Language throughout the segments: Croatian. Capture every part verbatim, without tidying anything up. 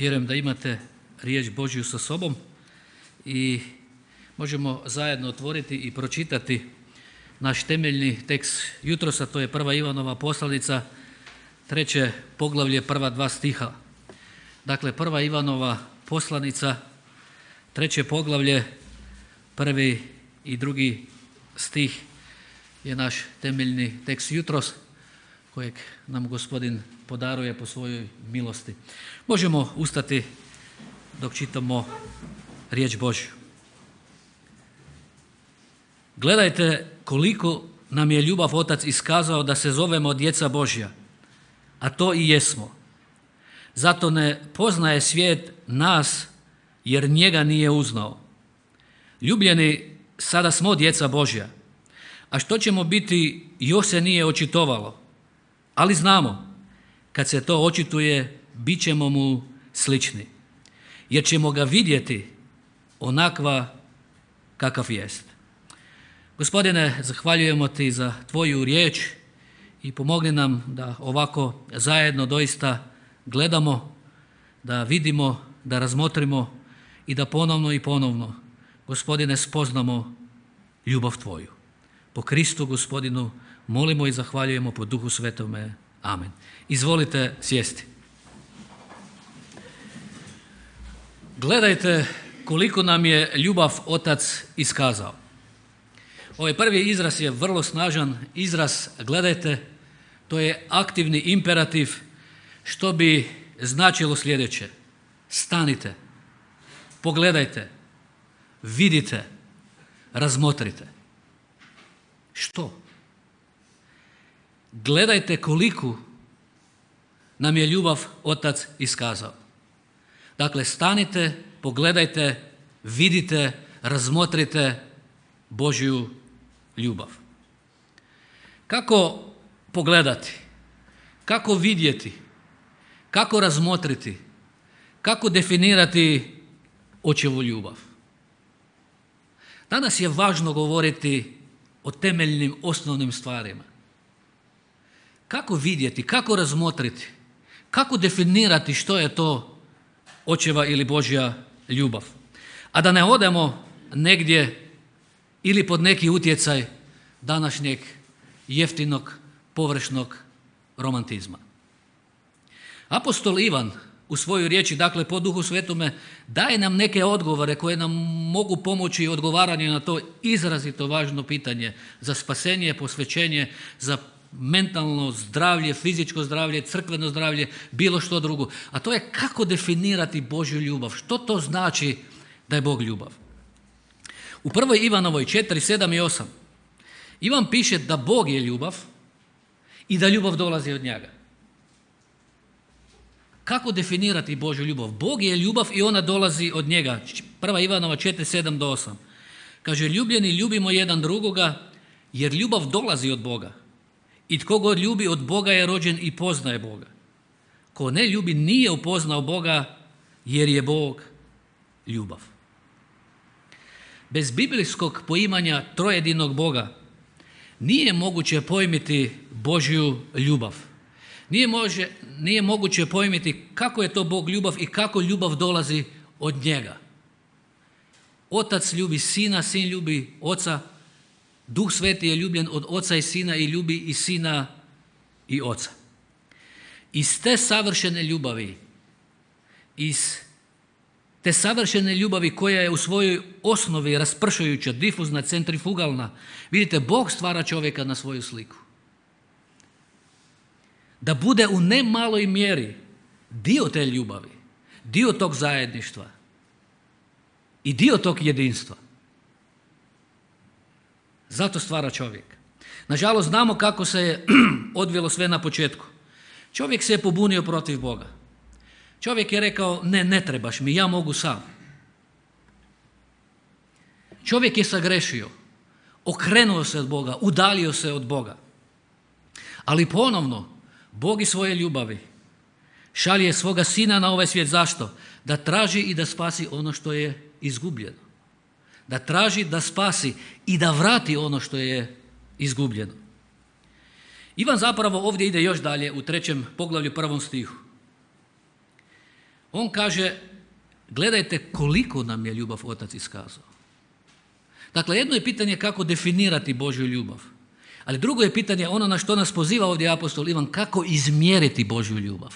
Vjerujem da imate riječ Božju sa sobom i možemo zajedno otvoriti i pročitati naš temeljni tekst jutros, a to je prva Ivanova poslanica, treće poglavlje, prva dva stiha. Dakle, prva Ivanova poslanica, treće poglavlje, prvi i drugi stih je naš temeljni tekst jutros, kojeg nam Gospodin podaruje po svojoj milosti. Možemo ustati dok čitamo riječ Božju. Gledajte koliko nam je ljubav Otac iskazao da se zovemo djeca Božja, a to i jesmo. Zato ne poznaje svijet nas, jer njega nije uznao. Ljubljeni, sada smo djeca Božja, a što ćemo biti još se nije očitovalo. Ali znamo, kad se to očituje, bit ćemo mu slični, jer ćemo ga vidjeti onakva kakav jest. Gospodine, zahvaljujemo ti za tvoju riječ i pomogni nam da ovako zajedno doista gledamo, da vidimo, da razmotrimo i da ponovno i ponovno, Gospodine, spoznamo ljubav tvoju. Po Kristu, Gospodinu, molimo i zahvaljujemo po Duhu Svetome. Amen. Izvolite sjesti. Gledajte koliko nam je ljubav Otac iskazao. Ovaj prvi izraz je vrlo snažan izraz, gledajte, to je aktivni imperativ, što bi značilo sljedeće. Stanite, pogledajte, vidite, razmotrite. Što? Gledajte koliko nam je ljubav Otac iskazao. Dakle, stanite, pogledajte, vidite, razmotrite Božju ljubav. Kako pogledati? Kako vidjeti? Kako razmotriti? Kako definirati Očevu ljubav? Danas je važno govoriti o temeljnim, osnovnim stvarima. Kako vidjeti, kako razmotriti, kako definirati što je to Očeva ili Božja ljubav. A da ne odemo negdje ili pod neki utjecaj današnjeg jeftinog, površnog romantizma. Apostol Ivan u svojoj riječi, dakle po Duhu Svetome, daje nam neke odgovore koje nam mogu pomoći odgovaranju na to izrazito važno pitanje za spasenje, posvećenje, za mentalno zdravlje, fizičko zdravlje, crkveno zdravlje, bilo što drugo. A to je kako definirati Božju ljubav. Što to znači da je Bog ljubav? U prvoj Ivanovoj četiri, sedam i osam Ivan piše da Bog je ljubav i da ljubav dolazi od njega. Kako definirati Božju ljubav? Bog je ljubav i ona dolazi od njega. prva Ivanova četiri, sedam do osam Kaže, ljubljeni, ljubimo jedan drugoga, jer ljubav dolazi od Boga. I tko god ljubi od Boga je rođen i poznaje Boga. Ko ne ljubi nije upoznao Boga, jer je Bog ljubav. Bez biblijskog poimanja trojedinog Boga nije moguće pojmiti Božju ljubav. Nije, može, nije moguće pojmiti kako je to Bog ljubav i kako ljubav dolazi od njega. Otac ljubi Sina, Sin ljubi Oca, Duh Sveti je ljubljen od Oca i Sina i ljubi i Sina i Oca. Iz te savršene ljubavi, iz te savršene ljubavi koja je u svojoj osnovi raspršujuća, difuzna, centrifugalna, vidite, Bog stvara čovjeka na svoju sliku. Da bude u ne maloj mjeri dio te ljubavi, dio tog zajedništva i dio tog jedinstva. Zato stvara čovjek. Nažalost, znamo kako se je odvilo sve na početku. Čovjek se je pobunio protiv Boga. Čovjek je rekao, ne, ne trebaš mi, ja mogu sam. Čovjek je sagrešio, okrenuo se od Boga, udalio se od Boga. Ali ponovno, Bog iz svoje ljubavi šalje svoga Sina na ovaj svijet. Zašto? Da traži i da spasi ono što je izgubljeno. Da traži, da spasi i da vrati ono što je izgubljeno. Ivan zapravo ovdje ide još dalje u trećem poglavlju, prvom stihu. On kaže, gledajte koliko nam je ljubav Otac iskazao. Dakle, jedno je pitanje kako definirati Božju ljubav, ali drugo je pitanje ono na što nas poziva ovdje apostol Ivan, kako izmjeriti Božju ljubav.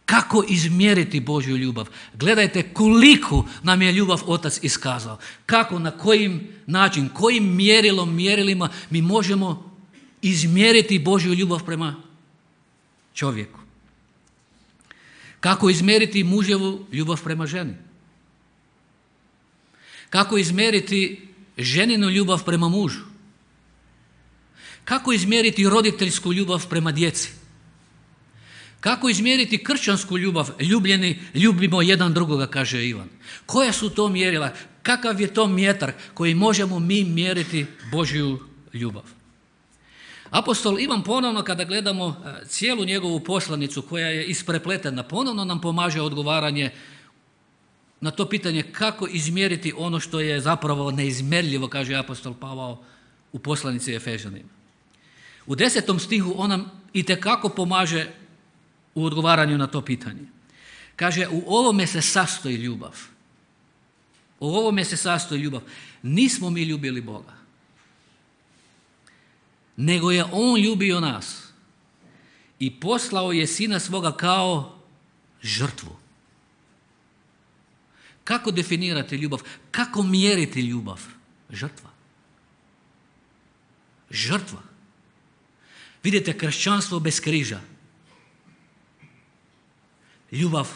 Kako izmjeriti Božju ljubav? Gledajte koliko nam je ljubav Otac iskazao. Kako, na kojim način, kojim mjerilom, mjerilima mi možemo izmjeriti Božju ljubav prema čovjeku. Kako izmjeriti muževu ljubav prema ženi? Kako izmjeriti ženinu ljubav prema mužu? Kako izmjeriti roditeljsku ljubav prema djeci? Kako izmjeriti kršćansku ljubav? Ljubljeni, ljubimo jedan drugoga, kaže Ivan. Koja su to mjerila? Kakav je to mjetar koji možemo mi mjeriti Božju ljubav? Apostol Ivan ponovno, kada gledamo cijelu njegovu poslanicu koja je isprepletena, ponovno nam pomaže odgovaranje na to pitanje kako izmjeriti ono što je zapravo neizmjerljivo, kaže apostol Pavao u poslanici Efežanima. U desetom stihu on nam itekako pomaže u odgovaranju na to pitanje. Kaže, u ovome se sastoji ljubav. U ovome se sastoji ljubav. Nismo mi ljubili Boga, nego je On ljubio nas i poslao je Sina svoga kao žrtvu. Kako definirati ljubav? Kako mjeriti ljubav? Žrtva. Žrtva. Vidite, kršćanstvo bez križa. Ljubav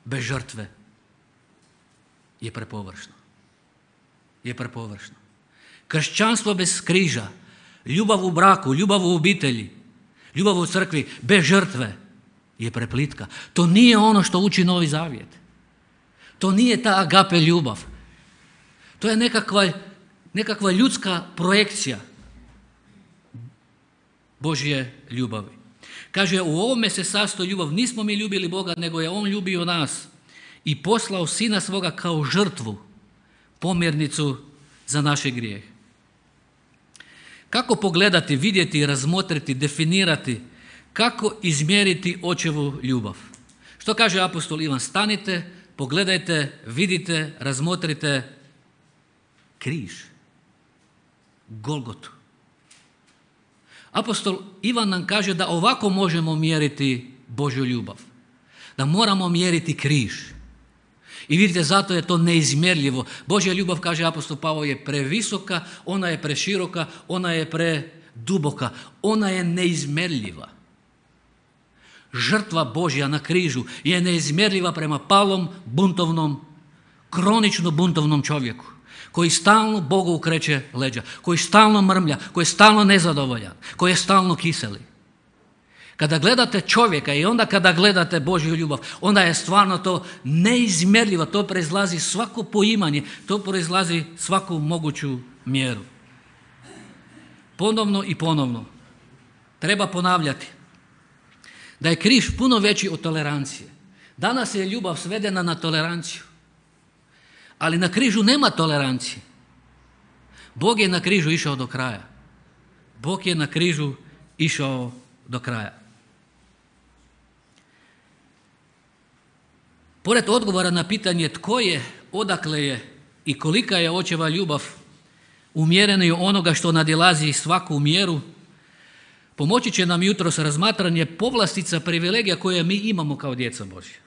bez žrtve je prepovršno. Je prepovršno. Kršćanstvo bez križa, ljubav u braku, ljubav u obitelji, ljubav u crkvi bez žrtve je preplitka. To nije ono što uči Novi Zavjet. To nije ta agape ljubav. To je nekakva, nekakva ljudska projekcija Božje ljubavi. Kaže, u ovome se sastoji ljubav. Nismo mi ljubili Boga, nego je On ljubio nas i poslao Sina svoga kao žrtvu, pomjernicu za naše grijehe. Kako pogledati, vidjeti, razmotriti, definirati, kako izmjeriti Očevu ljubav? Što kaže apostol Ivan? Stanite, pogledajte, vidite, razmotrite križ, Golgotu. Apostol Ivan nam kaže da ovako možemo mjeriti Božju ljubav, da moramo mjeriti križ. I vidite, zato je to neizmjerljivo. Božja ljubav, kaže apostol Pavao, je previsoka, ona je preširoka, ona je preduboka, ona je neizmjerljiva. Žrtva Božja na križu je neizmjerljiva prema palom, buntovnom, kronično buntovnom čovjeku, koji stalno Bogu ukreće leđa, koji stalno mrmlja, koji je stalno nezadovoljan, koji je stalno kiseli. Kada gledate čovjeka i onda kada gledate Božju ljubav, onda je stvarno to neizmjerljivo, to proizlazi svako poimanje, to proizlazi svaku moguću mjeru. Ponovno i ponovno treba ponavljati da je križ puno veći od tolerancije. Danas je ljubav svedena na toleranciju, ali na križu nema tolerancije. Bog je na križu išao do kraja. Bog je na križu išao do kraja. Pored odgovora na pitanje tko je, odakle je i kolika je Očeva ljubav umjerena onoga što nadilazi svaku mjeru, pomoći će nam jutros razmatranje povlastica, privilegija koje mi imamo kao djeca Božja.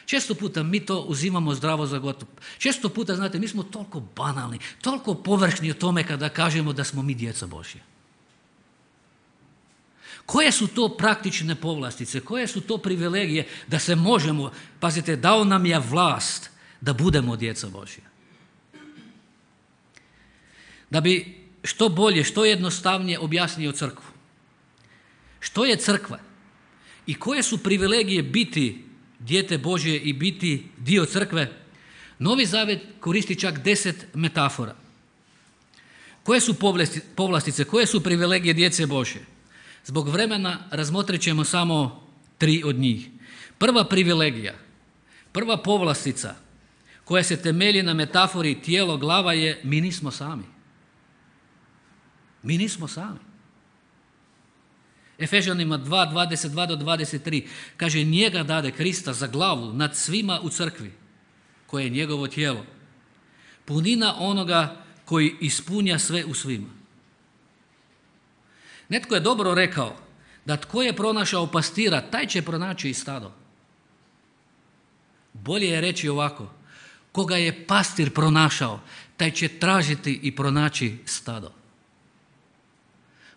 Često puta mi to uzimamo zdravo za gotovo. Često puta, znate, mi smo toliko banalni, toliko površni o tome kada kažemo da smo mi djeca Božja. Koje su to praktične povlastice, koje su to privilegije da se možemo, pazite, dao nam je vlast da budemo djeca Božja. Da bi što bolje, što jednostavnije objasnio crkvu. Što je crkva i koje su privilegije biti dijete Božje i biti dio crkve, Novi Zavjet koristi čak deset metafora. Koje su povlastice, koje su privilegije djece Božje? Zbog vremena razmotrit ćemo samo tri od njih. Prva privilegija, prva povlastica koja se temelji na metafori tijelo, glava je mi nismo sami. Mi nismo sami. Efežanima dva, dvadeset dva do dvadeset tri kaže njega dade Krista za glavu nad svima u crkvi, koje je njegovo tijelo. Punina onoga koji ispunja sve u svima. Netko je dobro rekao da tko je pronašao pastira, taj će pronaći i stado. Bolje je reći ovako, koga je pastir pronašao, taj će tražiti i pronaći stado.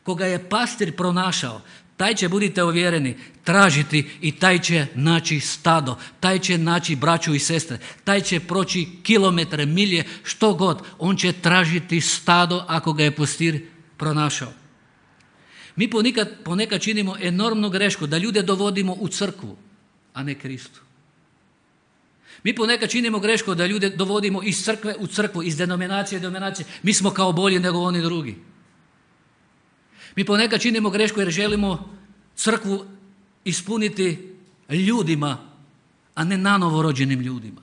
Koga je pastir pronašao, taj će, budite uvjereni, tražiti i taj će naći stado, taj će naći braću i sestre, taj će proći kilometre, milje, što god, on će tražiti stado ako ga je pastir pronašao. Mi ponekad, ponekad činimo enormnu grešku da ljude dovodimo u crkvu, a ne Kristu. Mi ponekad činimo grešku da ljude dovodimo iz crkve u crkvu, iz denominacije u denominacije. Mi smo kao bolji nego oni drugi. Mi ponekad činimo grešku jer želimo crkvu ispuniti ljudima, a ne nanovo rođenim ljudima.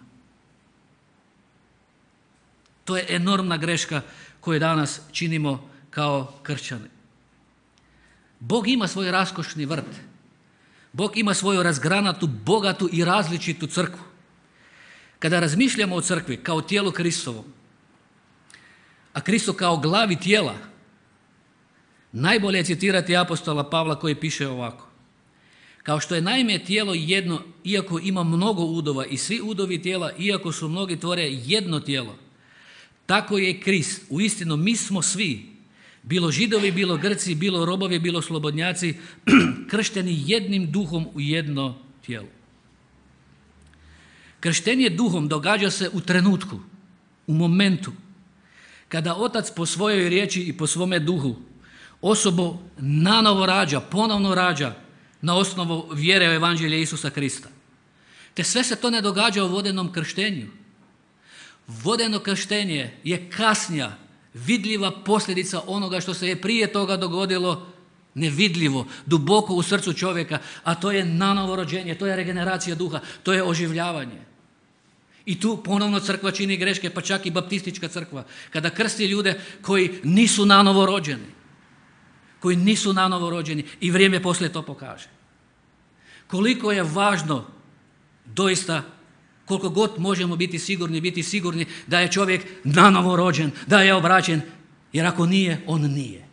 To je enormna greška koju danas činimo kao kršćani. Bog ima svoj raskošni vrt. Bog ima svoju razgranatu, bogatu i različitu crkvu. Kada razmišljamo o crkvi kao tijelu Kristovom, a Kristo kao glavi tijela, najbolje je citirati apostola Pavla koji piše ovako. Kao što je naime tijelo jedno, iako ima mnogo udova i svi udovi tijela, iako su mnogi, tvore jedno tijelo, tako je Krist. Uistinu mi smo svi, bilo Židovi, bilo Grci, bilo robovi, bilo slobodnjaci, kršteni jednim duhom u jedno tijelo. Krštenje duhom događa se u trenutku, u momentu, kada Otac po svojoj riječi i po svome duhu osobu nanovo rađa, ponovno rađa na osnovu vjere u Evanđelje Isusa Krista. Te sve se to ne događa u vodenom krštenju. Vodeno krštenje je kasnija, vidljiva posljedica onoga što se je prije toga dogodilo nevidljivo, duboko u srcu čovjeka, a to je nanovo rođenje, to je regeneracija duha, to je oživljavanje. I tu ponovno crkva čini greške, pa čak i baptistička crkva, kada krsti ljude koji nisu nanovo rođeni, koji nisu nanovo rođeni i vrijeme poslije to pokaže. Koliko je važno doista, koliko god možemo biti sigurni, biti sigurni da je čovjek nanovo rođen, da je obraćen, jer ako nije, on nije.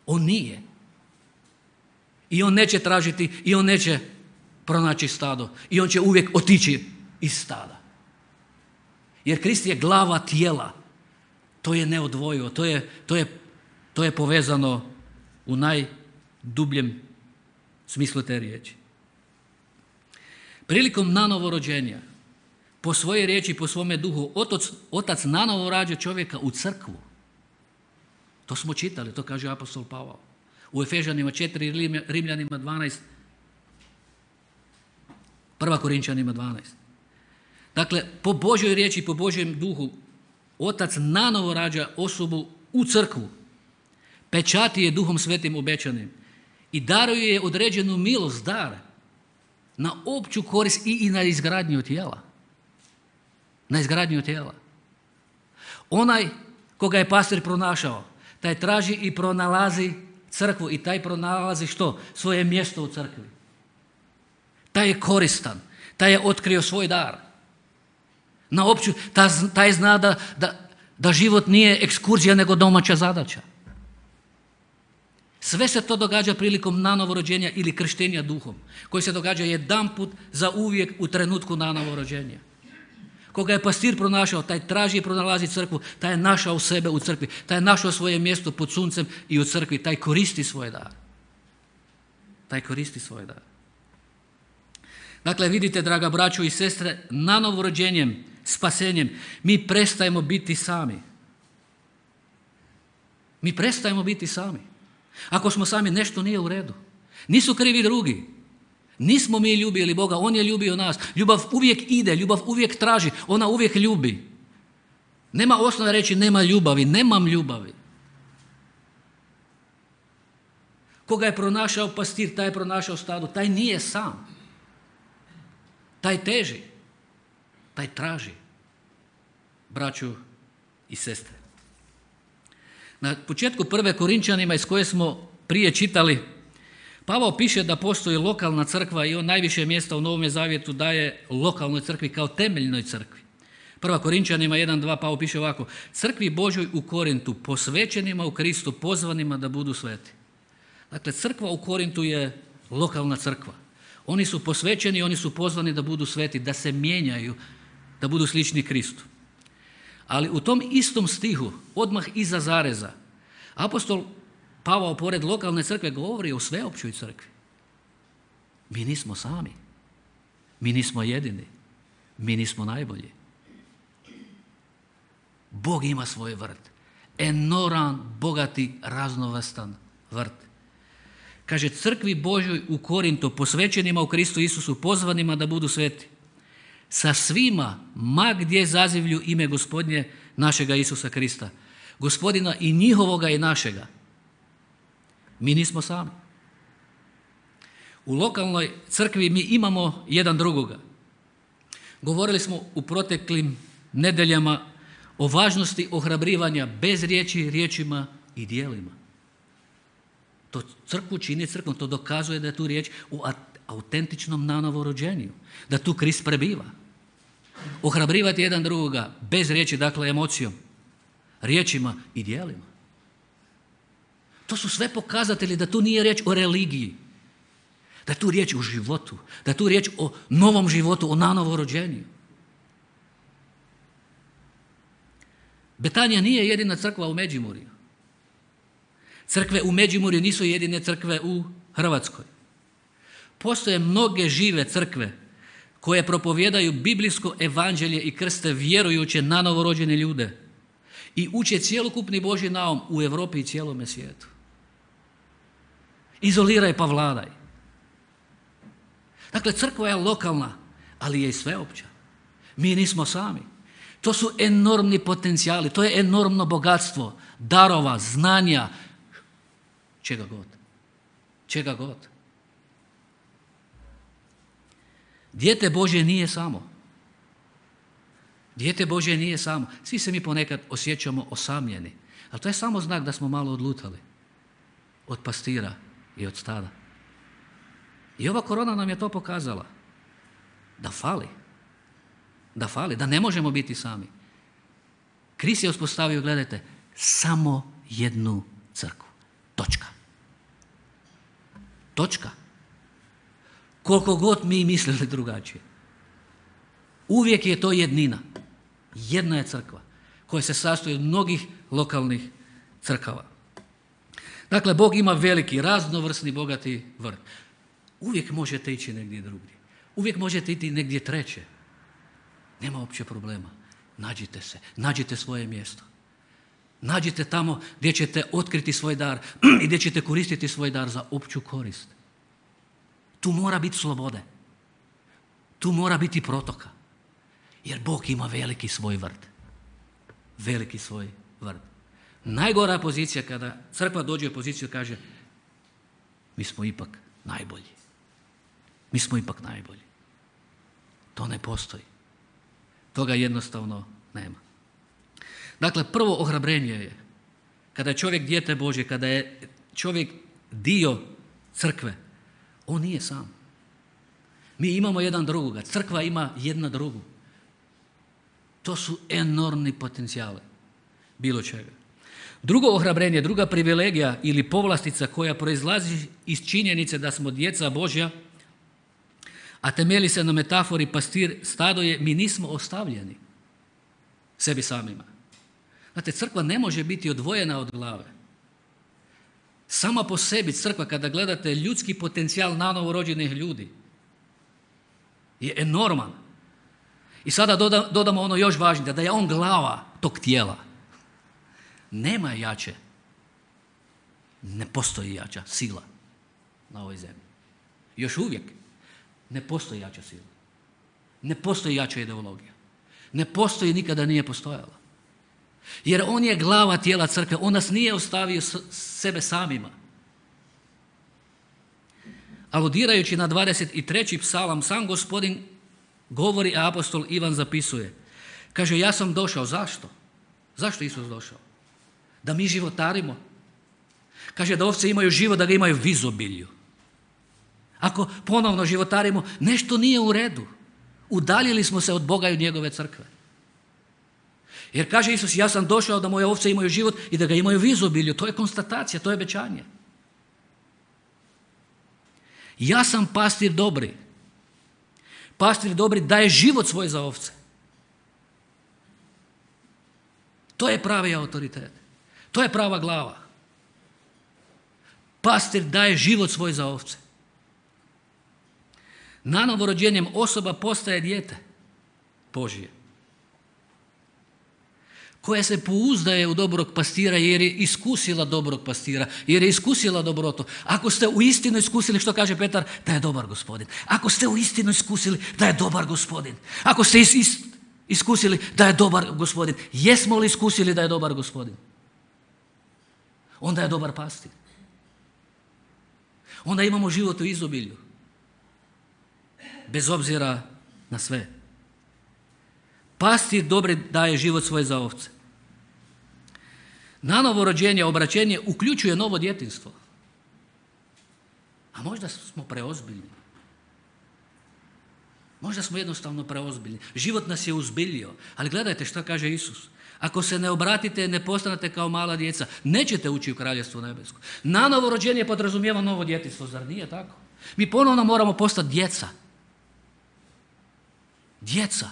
On nije. I on neće tražiti, i on neće pronaći stado, i on će uvijek otići iz stada. Jer Krist je glava tijela. To je neodvojivo, to je, to je, to je povezano u najdubljem smislu te riječi. Prilikom nanovo rođenja, po svojoj riječi, po svome duhu, otac, otac nanovo rađa čovjeka u crkvu. To smo čitali, to kaže apostol Pavao. U Efežanima četiri, Rimljanima dvanaest, prva Korinčanima dvanaest. Dakle, po Božjoj riječi, po Božjem duhu, Otac nanovo rađa osobu u crkvu, pečati je Duhom Svetim obećanim i daruje je određenu milost, dar, na opću korist i, i na izgradnju tijela. Na izgradnju tijela. Onaj koga je pastir pronašao, taj traži i pronalazi crkvu i taj pronalazi što? Svoje mjesto u crkvi. Taj je koristan, taj je otkrio svoj dar. Na opću, taj zna da, da, da život nije ekskurzija nego domaća zadaća. Sve se to događa prilikom nanovo rođenja ili krštenja duhom, koji se događa jedanput za uvijek u trenutku nanovo rođenja. Koga je pastir pronašao, taj traži i pronalazi crkvu, taj je našao sebe u crkvi, taj je našao svoje mjesto pod suncem i u crkvi, taj koristi svoj dar. Taj koristi svoj dar. Dakle, vidite, draga braćo i sestre, nanovo rođenjem, spasenjem, mi prestajemo biti sami. Mi prestajemo biti sami. Ako smo sami, nešto nije u redu. Nisu krivi drugi. Nismo mi ljubili Boga, On je ljubio nas. Ljubav uvijek ide, ljubav uvijek traži, ona uvijek ljubi. Nema osnove reći nema ljubavi, nemam ljubavi. Koga je pronašao pastir, taj je pronašao stado, taj nije sam. Taj teži, taj traži. Braću i sestre. Na početku prve Korinčanima iz koje smo prije čitali, Pavao piše da postoji lokalna crkva i on najviše mjesta u Novome zavjetu daje lokalnoj crkvi kao temeljnoj crkvi. Prva Korinčanima jedan dva Pavao piše ovako: crkvi Božoj u Korintu, posvećenima u Kristu, pozvanima da budu sveti. Dakle, crkva u Korintu je lokalna crkva. Oni su posvećeni, oni su pozvani da budu sveti, da se mijenjaju, da budu slični Kristu. Ali u tom istom stihu, odmah iza zareza, apostol Pavao pored lokalne crkve govori o sveopćoj crkvi. Mi nismo sami. Mi nismo jedini. Mi nismo najbolji. Bog ima svoj vrt. Enorman, bogati, raznovrstan vrt. Kaže, crkvi Božoj u Korintu, posvećenima u Kristu Isusu, pozvanima da budu sveti. Sa svima, ma gdje zazivlju ime Gospodnje našega Isusa Krista. Gospodina i njihovoga i našega. Mi nismo sami. U lokalnoj crkvi mi imamo jedan drugoga. Govorili smo u proteklim nedeljama o važnosti ohrabrivanja bez riječi, riječima i djelima. To crkvu čini crkvom, to dokazuje da je tu riječ u autentičnom nanovorođenju, da tu Krist prebiva. Ohrabrivati jedan drugoga bez riječi, dakle emocijom, riječima i djelima. To su sve pokazatelji da tu nije riječ o religiji, da je tu riječ o životu, da je tu riječ o novom životu, o nanovorođenju. Betanija nije jedina crkva u Međimurju. Crkve u Međimurju nisu jedine crkve u Hrvatskoj. Postoje mnoge žive crkve koje propovijedaju biblijsko evanđelje i krste vjerujuće na novorođene ljude i uče cjelokupni Božji naum u Europi i cijelome svijetu. Izoliraj pa vladaj. Dakle, crkva je lokalna, ali je i sveopća. Mi nismo sami. To su enormni potencijali, to je enormno bogatstvo, darova, znanja, čega god. Čega god. Dijete Božje nije samo. Dijete Božje nije samo. Svi se mi ponekad osjećamo osamljeni, ali to je samo znak da smo malo odlutali od pastira i od stada. I ova korona nam je to pokazala. Da fali. Da fali, da ne možemo biti sami. Krist je uspostavio, gledajte, samo jednu crkvu. Točka. Točka. Koliko god mi mislili drugačije. Uvijek je to jednina. Jedna je crkva koja se sastoji od mnogih lokalnih crkava. Dakle, Bog ima veliki, raznovrsni, bogati vrt. Uvijek možete ići negdje drugdje. Uvijek možete ići negdje treće. Nema uopće problema. Nađite se, nađite svoje mjesto. Nađite tamo gdje ćete otkriti svoj dar i gdje ćete koristiti svoj dar za opću korist. Tu mora biti slobode. Tu mora biti protoka. Jer Bog ima veliki svoj vrt. Veliki svoj vrt. Najgora pozicija kada crkva dođe u poziciju i kaže mi smo ipak najbolji. Mi smo ipak najbolji. To ne postoji. Toga jednostavno nema. Dakle, prvo ohrabrenje je kada je čovjek dijete Božje, kada je čovjek dio crkve, on nije sam. Mi imamo jedan drugoga, crkva ima jedna drugu. To su enormni potencijali bilo čega. Drugo ohrabrenje, druga privilegija ili povlastica koja proizlazi iz činjenice da smo djeca Božja, a temelji se na metafori pastir stado je, mi nismo ostavljeni sebi samima. Znate, crkva ne može biti odvojena od glave. Sama po sebi crkva, kada gledate ljudski potencijal nanovorođenih ljudi, je enorman. I sada dodamo ono još važnije, da je on glava tog tijela. Nema jače, ne postoji jača sila na ovoj zemlji. Još uvijek ne postoji jača sila. Ne postoji jača ideologija. Ne postoji, nikada nije postojala. Jer on je glava tijela crkve, on nas nije ostavio sebe samima. Aludirajući na dvadeset treći psalam, sam Gospodin govori, a apostol Ivan zapisuje. Kaže, ja sam došao. Zašto? Zašto Isus došao? Da mi životarimo. Kaže da ovce imaju život, da ga imaju v izobilju. Ako ponovno životarimo, nešto nije u redu. Udaljili smo se od Boga i od njegove crkve. Jer kaže Isus, ja sam došao da moje ovce imaju život i da ga imaju u izobilju. To je konstatacija, to je obećanje. Ja sam pastir dobri. Pastir dobri daje život svoj za ovce. To je pravi autoritet. To je prava glava. Pastir daje život svoj za ovce. Nanovo rođenjem osoba postaje dijete Božije, koja se pouzdaje u dobrog pastira jer je iskusila dobrog pastira, jer je iskusila dobrotu. Ako ste u istinu iskusili, što kaže Petar, da je dobar gospodin. Ako ste u istinu iskusili, da je dobar gospodin. Ako ste is, is, iskusili da je dobar gospodin. Jesmo li iskusili da je dobar gospodin? Onda je dobar pastir. Onda imamo život u izobilju. Bez obzira na sve. Pastir dobri daje život svoj za ovce. Nanovo rođenje, obraćenje uključuje novo djetinjstvo. A možda smo preozbiljni. Možda smo jednostavno preozbiljni. Život nas je uzbiljio. Ali gledajte što kaže Isus. Ako se ne obratite, ne postanete kao mala djeca, nećete ući u kraljevstvo nebesko. Nanovo rođenje podrazumijeva novo djetinjstvo, zar nije tako? Mi ponovno moramo postati djeca. Djeca.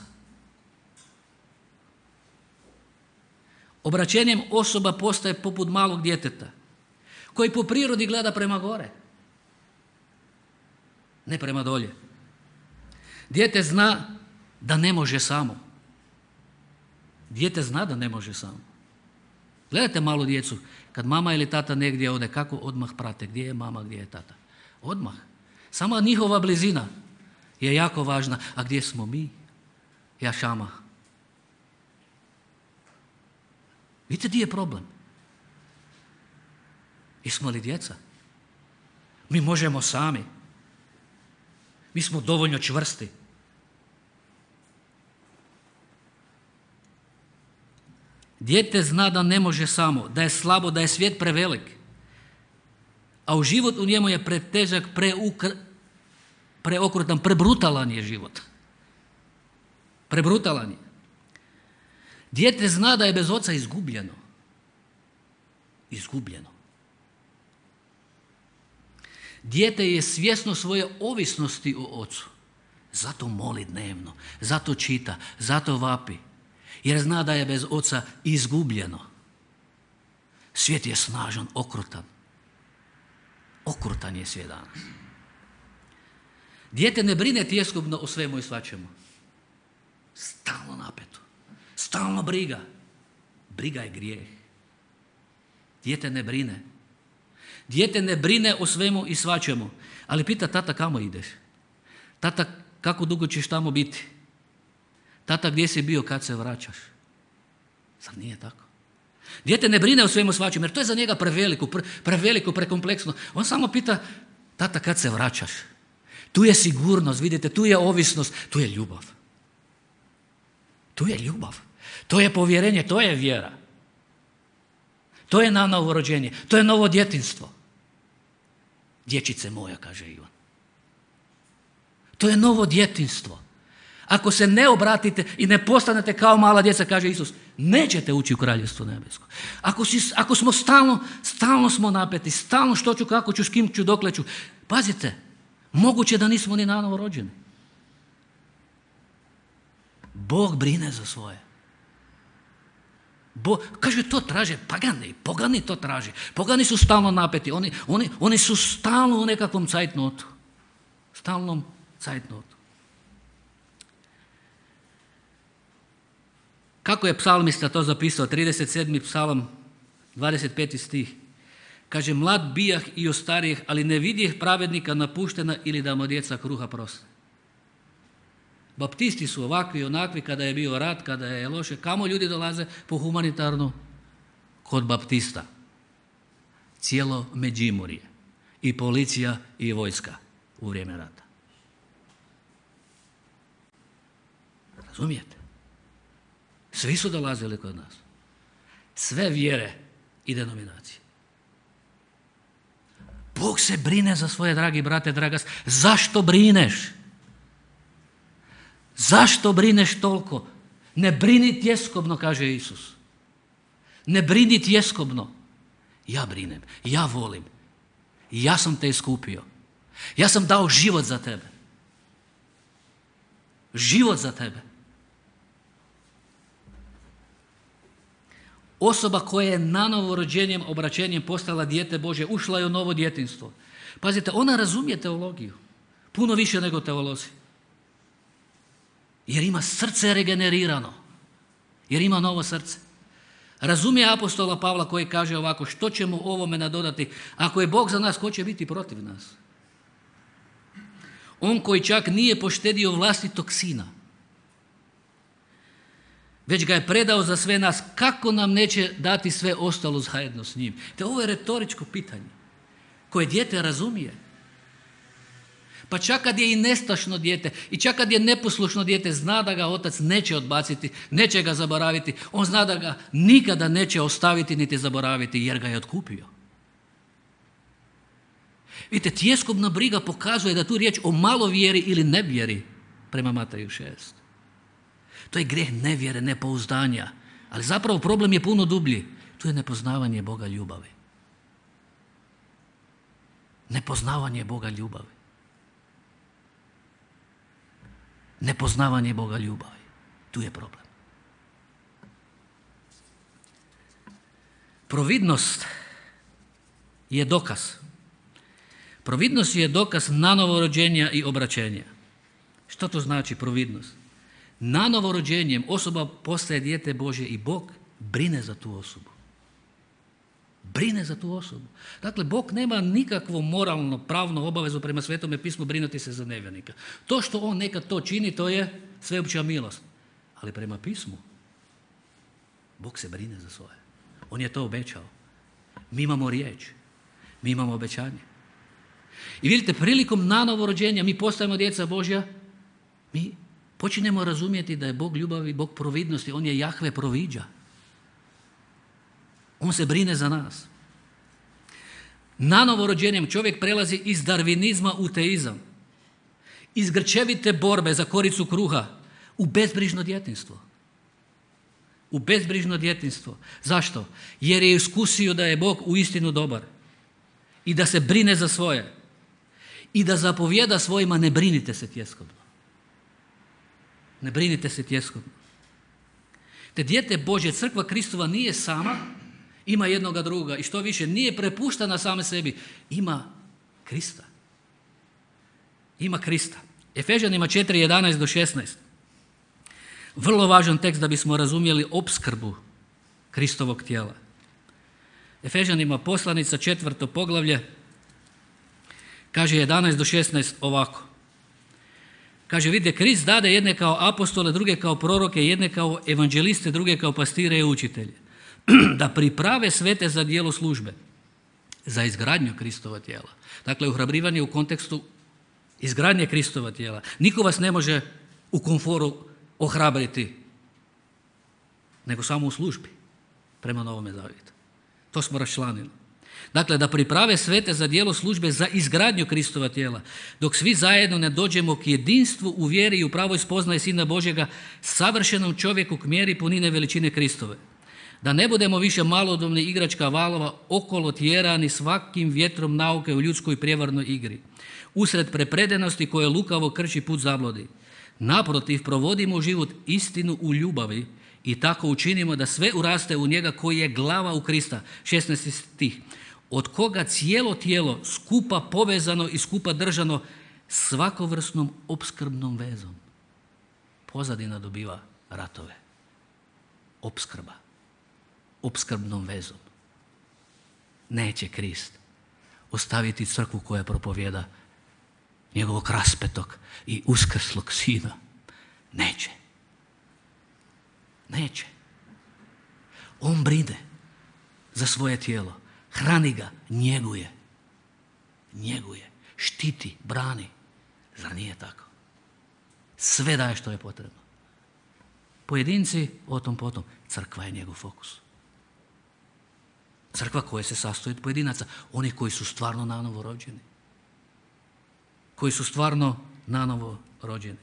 Obraćenjem osoba postaje poput malog djeteta, koji po prirodi gleda prema gore, ne prema dolje. Dijete zna da ne može samo. Dijete zna da ne može samo. Gledajte malu djecu, kad mama ili tata negdje ode, kako odmah prate, gdje je mama, gdje je tata. Odmah. Sama njihova blizina je jako važna. A gdje smo mi? Ja šama. Vidite gdje je problem? Jesmo li djeca? Mi možemo sami. Mi smo dovoljno čvrsti. Dijete zna da ne može samo, da je slabo, da je svijet prevelik, a u život u njemu je pretežak, preukr, preokrutan, prebrutalan je život. Prebrutalan je. Dijete zna da je bez oca izgubljeno. Izgubljeno. Dijete je svjesno svoje ovisnosti o ocu. Zato moli dnevno, zato čita, zato vapi. Jer zna da je bez oca izgubljeno. Svijet je snažan, okrutan. Okrutan je svijet danas. Dijete ne brine tjeskobno o svemu i svačemu. Stalno napeto. Stalno briga. Briga je grijeh. Dijete ne brine. Dijete ne brine o svemu i svačemu. Ali pita tata kamo ideš? Tata kako dugo ćeš tamo biti? Tata gdje si bio kad se vraćaš? Zar nije tako? Dijete ne brine o svemu svačemu jer to je za njega preveliko, pre, preveliko, prekompleksno. On samo pita tata kad se vraćaš? Tu je sigurnost, vidite, tu je ovisnost, tu je ljubav. Tu je ljubav. To je povjerenje, to je vjera. To je nanovo rođenje, to je novo djetinjstvo. Dječice moja, kaže Ivan. To je novo djetinjstvo. Ako se ne obratite i ne postanete kao mala djeca, kaže Isus, nećete ući u kraljevstvo nebesko. Ako, si, ako smo stalno, stalno smo napeti, stalno što ću, kako ću, s kim ću, dokle ću. Pazite, moguće da nismo ni nanovo rođeni. Bog brine za svoje. Bo, kaže, to traže pagani, pogani to traže. Pogani su stalno napeti, oni, oni, oni su stalno u nekakvom cajtnotu. Stalnom cajtnotu. Kako je psalmista to zapisao? trideset sedmi psalam, dvadeset peti stih. Kaže, mlad bijah i ostarijeh, ali ne vidjeh pravednika napuštena ili da mu djeca kruha prosne. Baptisti su ovakvi i onakvi kada je bio rat, kada je loše. Kamo ljudi dolaze po humanitarnu? Kod baptista. Cijelo Međimurje. I policija i vojska u vrijeme rata. Razumijete? Svi su dolazili kod nas. Sve vjere i denominacije. Bog se brine za svoje, dragi brate, draga. Zašto brineš? Zašto brineš toliko? Ne brini tjeskobno, kaže Isus. Ne brini tjeskobno. Ja brinem, ja volim. Ja sam te iskupio. Ja sam dao život za tebe. Život za tebe. Osoba koja je na novorođenjem obraćenjem postala dijete Božje, ušla je u novo djetinjstvo. Pazite, ona razumije teologiju. Puno više nego teolozi. Jer ima srce regenerirano. Jer ima novo srce. Razumije apostola Pavla koji kaže ovako, što ćemo ovome nadodati? Ako je Bog za nas, ko će biti protiv nas? On koji čak nije poštedio vlastitog sina, već ga je predao za sve nas, kako nam neće dati sve ostalo zajedno s njim? Te ovo je retoričko pitanje koje dijete razumije. Pa čak kad je i nestašno dijete i čak kad je neposlušno dijete, zna da ga otac neće odbaciti, neće ga zaboraviti. On zna da ga nikada neće ostaviti niti zaboraviti jer ga je otkupio. Vidite, tjeskobna briga pokazuje da tu riječ o malovjeri ili nevjeri prema Mateju šest. To je grijeh nevjere, nepouzdanja. Ali zapravo problem je puno dublji. Tu je nepoznavanje Boga ljubavi. Nepoznavanje Boga ljubavi. Nepoznavanje Boga ljubavi. Tu je problem. Providnost je dokaz. Providnost je dokaz nanovo rođenja i obraćenja. Što to znači providnost? Nanovo rođenjem osoba postaje dijete Božje i Bog brine za tu osobu. Brine za tu osobu. Dakle, Bog nema nikakvo moralno, pravno obavezu prema Svetome pismu brinuti se za nevjernika. To što on nekad to čini, to je sveopća milost. Ali prema pismu, Bog se brine za svoje. On je to obećao. Mi imamo riječ. Mi imamo obećanje. I vidite, prilikom nanovo rođenja mi postajemo djeca Božja, mi počinjemo razumjeti da je Bog ljubavi, Bog providnosti. On je Jahve proviđa. On se brine za nas. Nanovo rođenjem čovjek prelazi iz darvinizma u teizam. Iz grčevite borbe za koricu kruha u bezbrižno djetinjstvo. U bezbrižno djetinjstvo. Zašto? Jer je iskusio da je Bog uistinu dobar. I da se brine za svoje. I da zapovjeda svojima, ne brinite se tjeskobno. Ne brinite se tjeskobno. Te dijete Božje, crkva Kristova nije sama, ima jednoga druga i što više, nije prepuštena same sebi, ima Krista. Ima Krista. Efežanima četiri, jedanaest do šesnaest. Vrlo važan tekst da bismo razumjeli opskrbu Kristovog tijela. Efežanima poslanica, četvrto poglavlje, kaže jedanaest do šesnaest ovako. Kaže, vidite, Krist dade jedne kao apostole, druge kao proroke, jedne kao evanđeliste, druge kao pastire i učitelje. Da priprave svete za djelo službe, za izgradnju Kristova tijela. Dakle, uhrabrivanje u kontekstu izgradnje Kristova tijela. Niko vas ne može u komforu ohrabriti, nego samo u službi prema Novome zavjetu. To smo raščlanili. Dakle, da priprave svete za djelo službe za izgradnju Kristova tijela, dok svi zajedno ne dođemo k jedinstvu u vjeri i u pravoj spoznaji Sina Božjega, savršenom čovjeku k mjeri punine veličine Kristove. Da ne budemo više malodobni igračka valova okolo tjerani svakim vjetrom nauke u ljudskoj prijevarnoj igri, usred prepredenosti koje lukavo krči put zabludi. Naprotiv, provodimo život istinu u ljubavi i tako učinimo da sve uraste u njega koji je glava u Krista. šesnaesti stih. Od koga cijelo tijelo skupa povezano i skupa držano svakovrsnom opskrbnom vezom. Pozadina dobiva ratove. Opskrba. Opskrbnom vezom. Neće Krist ostaviti crkvu koja propovjeda njegovog raspetog i uskrslog sina. Neće. Neće. On brine za svoje tijelo. Hrani ga, njeguje. Njeguje. Štiti, brani. Zar nije tako? Sve daje što je potrebno. Pojedinci, o tom potom, crkva je njegov fokus. Crkva koja se sastoji od pojedinaca, oni koji su stvarno nanovo rođeni. Koji su stvarno nanovo rođeni.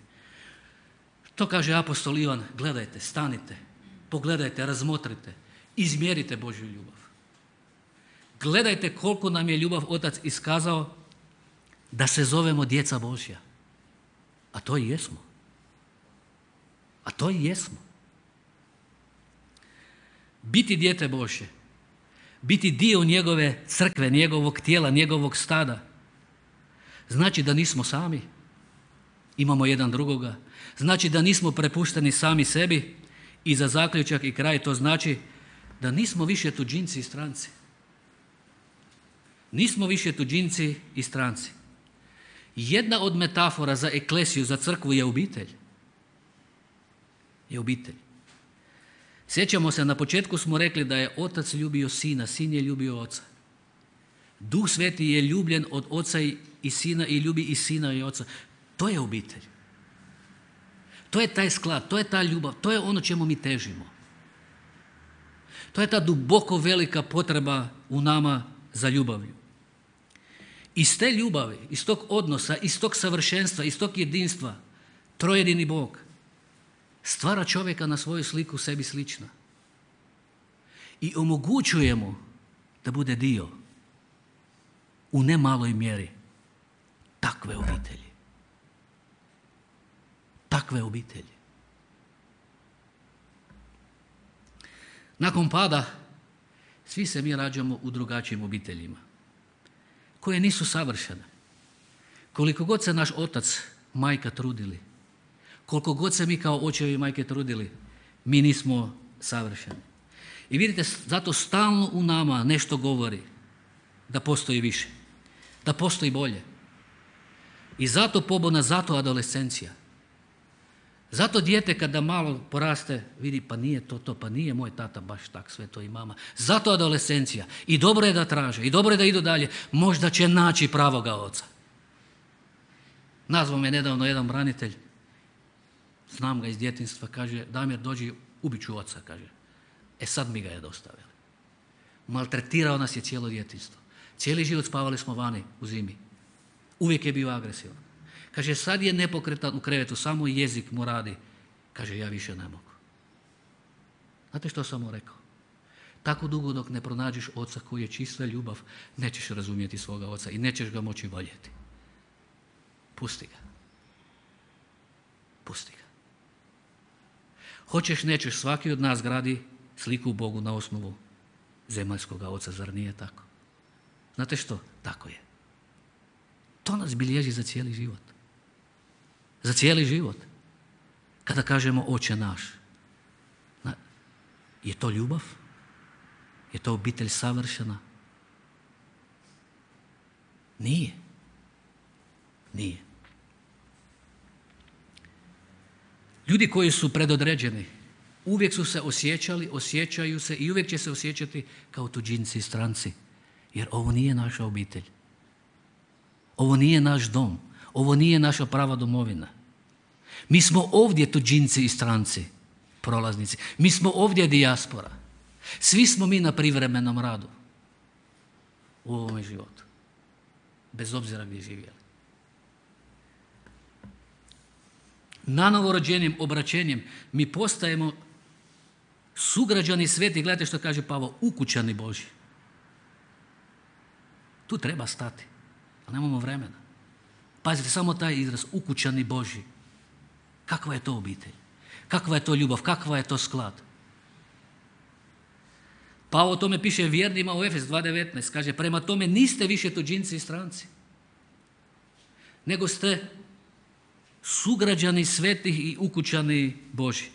To kaže apostol Ivan, gledajte, stanite, pogledajte, razmotrite, izmjerite Božju ljubav. Gledajte koliko nam je ljubav Otac iskazao da se zovemo djeca Božja. A to i jesmo. A to i jesmo. Biti dijete Božje, biti dio njegove crkve, njegovog tijela, njegovog stada, znači da nismo sami, imamo jedan drugoga, znači da nismo prepušteni sami sebi i za zaključak i kraj to znači da nismo više tuđinci i stranci. Nismo više tuđinci i stranci. Jedna od metafora za eklesiju, za crkvu je obitelj. Je obitelj. Sjećamo se, na početku smo rekli da je Otac ljubio Sina, Sin je ljubio Oca. Duh Sveti je ljubljen od Oca i Sina i ljubi i Sina i Oca. To je obitelj. To je taj sklad, to je ta ljubav, to je ono čemu mi težimo. To je ta duboko velika potreba u nama za ljubavlju. Iz te ljubavi, iz tog odnosa, iz tog savršenstva, iz tog jedinstva, trojedini Bog stvara čovjeka na svoju sliku sebi slična. I omogućuje mu da bude dio u nemaloj mjeri takve obitelji. Takve obitelji. Nakon pada svi se mi rađamo u drugačijim obiteljima koje nisu savršene. Koliko god se naš otac, majka trudili, koliko god se mi kao očevi i majke trudili, mi nismo savršeni. I vidite, zato stalno u nama nešto govori da postoji više, da postoji bolje. I zato pobuna, zato adolescencija. Zato dijete kada malo poraste vidi pa nije to to, pa nije moj tata baš tak sve to i mama. Zato adolescencija. I dobro je da traže, i dobro je da idu dalje. Možda će naći pravoga oca. Nazvao me nedavno jedan branitelj, znam ga iz djetinjstva, kaže Damir dođi, ubit ću oca, kaže. E sad mi ga je dostavili. Maltretirao nas je cijelo djetinjstvo. Cijeli život spavali smo vani u zimi. Uvijek je bio agresivan. Kaže, sad je nepokretan u krevetu, samo jezik mu radi. Kaže, ja više ne mogu. Znate što sam mu rekao? Tako dugo dok ne pronađeš oca koji je čista ljubav, nećeš razumjeti svoga oca i nećeš ga moći voljeti. Pusti ga. Pusti ga. Hoćeš, nećeš, svaki od nas gradi sliku u Bogu na osnovu zemaljskoga oca, zar nije tako? Znate što? Tako je. To nas bilježi za cijeli život. Za cijeli život. Kada kažemo Oče naš, je to ljubav? Je to obitelj savršena? Nije. Nije. Ljudi koji su predodređeni uvijek su se osjećali, osjećaju se i uvijek će se osjećati kao tuđinci i stranci. Jer ovo nije naša obitelj. Ovo nije naš dom. Ovo nije naša prava domovina. Mi smo ovdje tuđinci i stranci, prolaznici. Mi smo ovdje dijaspora. Svi smo mi na privremenom radu u ovome životu. Bez obzira gdje živjeli. Nanovorođenim obraćenjem mi postajemo sugrađani sveti, gledajte što kaže Pavao, ukućani Božji. Tu treba stati, ali nemamo vremena. Pazite, samo taj izraz, ukućani Božji. Kakva je to obitelj? Kakva je to ljubav? Kakva je to sklad? Pavao o tome piše vjernima u Efes dva devetnaest. Kaže, prema tome niste više tuđinci i stranci, nego ste sugrađani svetih i ukućani Božji.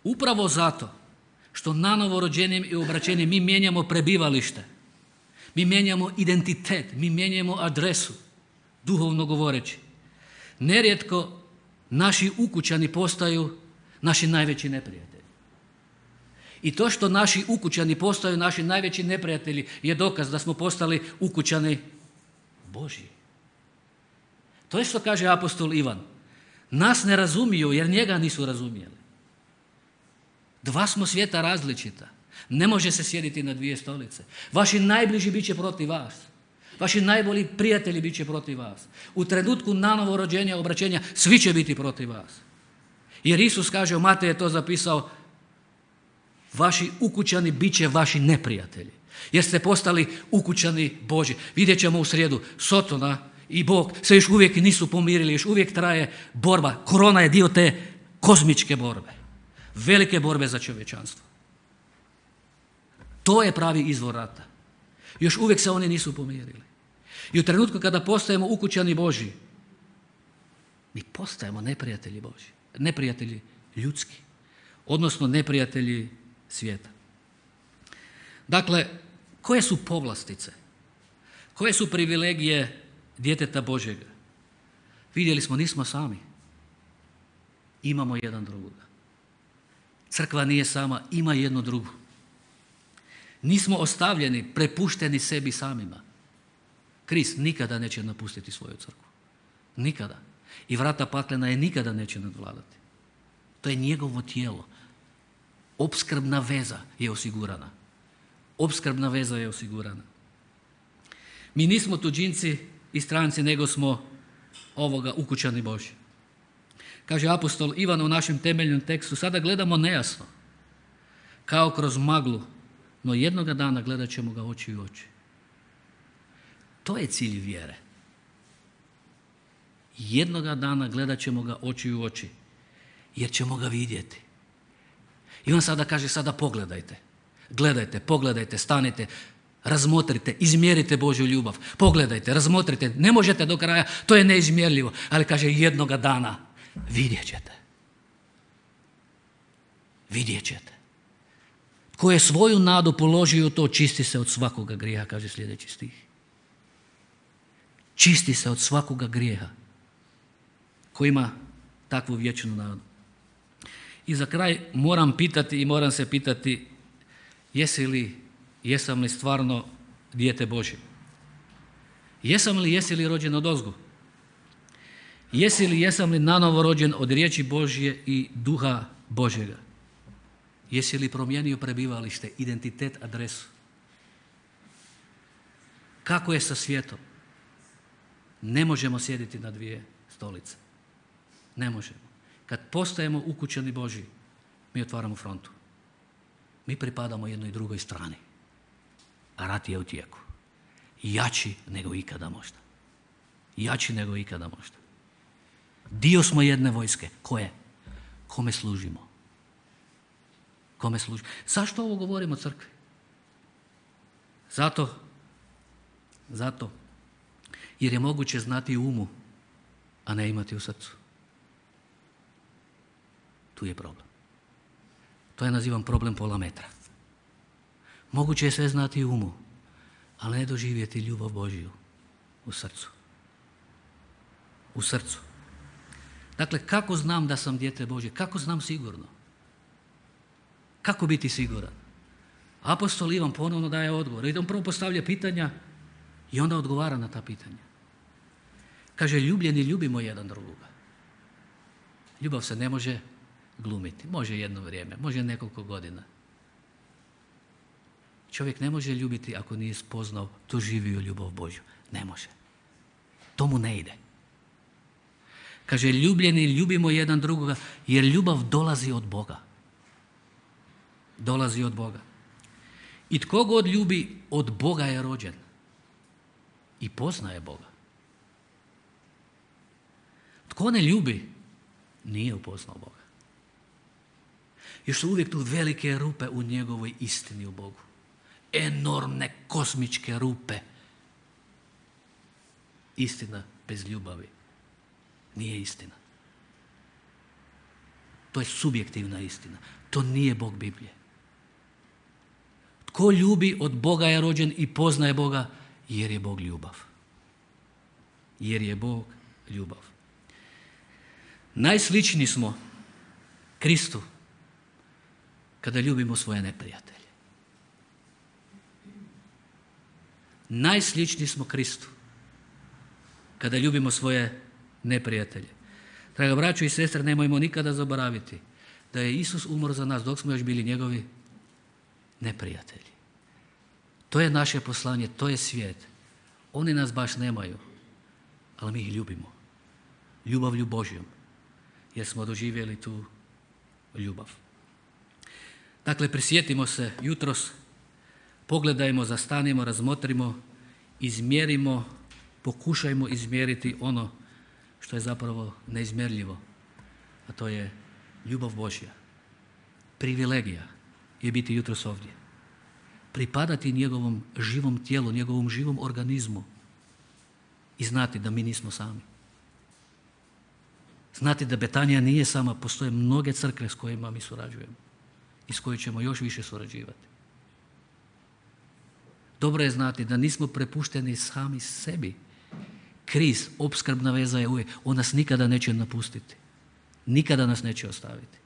Upravo zato što nanovorođenim i obraćenim mi mijenjamo prebivalište, mi mijenjamo identitet, mi mijenjamo adresu, duhovno govoreći. Nerijetko naši ukućani postaju naši najveći neprijatelji. I to što naši ukućani postaju naši najveći neprijatelji je dokaz da smo postali ukućani Božji. To je što kaže apostol Ivan. Nas ne razumiju jer njega nisu razumjeli. Dva smo svijeta različita. Ne može se sjediti na dvije stolice. Vaši najbliži bit će protiv vas. Vaši najbolji prijatelji bit će protiv vas. U trenutku nanovo rođenja, obraćenja, svi će biti protiv vas. Jer Isus kaže, Matej je to zapisao, vaši ukućani bit će vaši neprijatelji. Jer ste postali ukućani Božji. Vidjet ćemo u srijedu, Sotona i Bog se još uvijek nisu pomirili, još uvijek traje borba. Korona je dio te kozmičke borbe. Velike borbe za čovječanstvo. To je pravi izvor rata. Još uvijek se oni nisu pomirili. I u trenutku kada postajemo ukućani Božji, mi postajemo neprijatelji Božji. Neprijatelji ljudski. Odnosno neprijatelji svijeta. Dakle, koje su povlastice? Koje su privilegije djeteta Božjega? Vidjeli smo, nismo sami. Imamo jedan drugoga. Crkva nije sama, ima jednu drugu. Nismo ostavljeni, prepušteni sebi samima. Krist nikada neće napustiti svoju crkvu. Nikada. I vrata paklena je nikada neće nadvladati. To je njegovo tijelo. Opskrbna veza je osigurana. Opskrbna veza je osigurana. Mi nismo tuđinci i stranci, nego smo ovoga ukućani Božji. Kaže apostol Ivan u našem temeljnom tekstu, sada gledamo nejasno, kao kroz maglu, no jednoga dana gledat ćemo ga oči u oči. To je cilj vjere. Jednoga dana gledat ćemo ga oči u oči, jer ćemo ga vidjeti. I on sada kaže, sada pogledajte. Gledajte, pogledajte, stanite, razmotrite, izmjerite Božju ljubav. Pogledajte, razmotrite, ne možete do kraja, to je neizmjerljivo, ali kaže jednoga dana vidjet ćete. Vidjet ćete. Tko je svoju nadu položio u to, čisti se od svakoga grijeha, kaže sljedeći stih. Čisti se od svakoga grijeha ko ima takvu vječnu nadu. I za kraj moram pitati i moram se pitati, jesi li, jesam li stvarno dijete Božje? Jesam li, jesi li rođen od ozgo? Jesi li, jesam li nanovo rođen od riječi Božje i duha Božjega? Jesi li promijenio prebivalište, identitet, adresu? Kako je sa svijetom? Ne možemo sjediti na dvije stolice. Ne možemo. Kad postajemo ukućani Božji, mi otvaramo frontu. Mi pripadamo jednoj i drugoj strani. A rat je u tijeku. Jači nego ikada možda. Jači nego ikada možda. Dio smo jedne vojske. Koje? Kome služimo? Kome služimo? Zašto ovo govorimo o crkvi? Zato, zato, jer je moguće znati u umu, a ne imati u srcu. Tu je problem. To ja nazivam problem pola metra. Moguće je sve znati u umu, ali ne doživjeti ljubav Božju u srcu. U srcu. Dakle, kako znam da sam dijete Božje? Kako znam sigurno? Kako biti siguran? Apostol Ivan ponovno daje odgovor. I on prvo postavlja pitanja i onda odgovara na ta pitanja. Kaže, ljubljeni ljubimo jedan drugoga. Ljubav se ne može glumiti. Može jedno vrijeme, može nekoliko godina. Čovjek ne može ljubiti ako nije spoznao, doživio ljubav Božju. Ne može. To mu ne ide. Kaže, ljubljeni ljubimo jedan drugoga jer ljubav dolazi od Boga. Dolazi od Boga. I tko god ljubi, od Boga je rođen. I poznaje Boga. Tko ne ljubi, nije upoznao Boga. Još su uvijek tu velike rupe u njegovoj istini u Bogu. Enormne kosmičke rupe. Istina bez ljubavi nije istina. To je subjektivna istina. To nije Bog Biblije. Tko ljubi, od Boga je rođen i poznaje Boga, jer je Bog ljubav. Jer je Bog ljubav. Najsličniji smo Kristu kada ljubimo svoje neprijatelje. Najsličniji smo Kristu kada ljubimo svoje neprijatelje. Draga braćo i sestre, nemojmo nikada zaboraviti da je Isus umro za nas dok smo još bili njegovi neprijatelji. To je naše poslanje, to je svijet. Oni nas baš nemaju, ali mi ih ljubimo. Ljubavlju Božjom, jer smo doživjeli tu ljubav. Dakle, prisjetimo se jutros, pogledajmo, zastanimo, razmotrimo, izmjerimo, pokušajmo izmjeriti ono što je zapravo neizmjerljivo, a to je ljubav Božja. Privilegija je biti jutros ovdje. Pripadati njegovom živom tijelu, njegovom živom organizmu i znati da mi nismo sami. Znati da Betanija nije sama, postoje mnoge crkve s kojima mi surađujemo i s kojima ćemo još više surađivati. Dobro je znati da nismo prepušteni sami sebi. Kriz, opskrbna veza je uvijek. On nas nikada neće napustiti. Nikada nas neće ostaviti.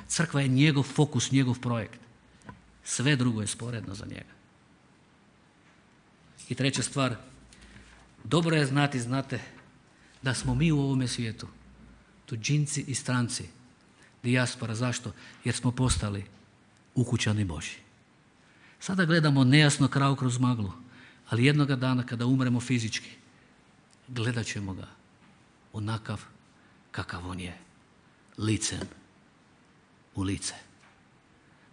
Crkva je njegov fokus, njegov projekt. Sve drugo je sporedno za njega. I treća stvar, dobro je znati, znate, da smo mi u ovome svijetu tuđinci i stranci, dijaspora. Zašto? Jer smo postali ukućani Božji. Sada gledamo nejasno kravu kroz maglu, ali jednoga dana kada umremo fizički, gledat ćemo ga onakav kakav on je, licem u lice,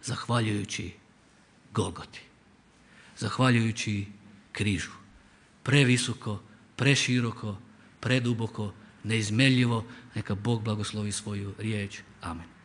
zahvaljujući Golgoti, zahvaljujući križu, previsoko, preširoko, preduboko, neizmjerljivo. Neka Bog blagoslovi svoju riječ. Amen.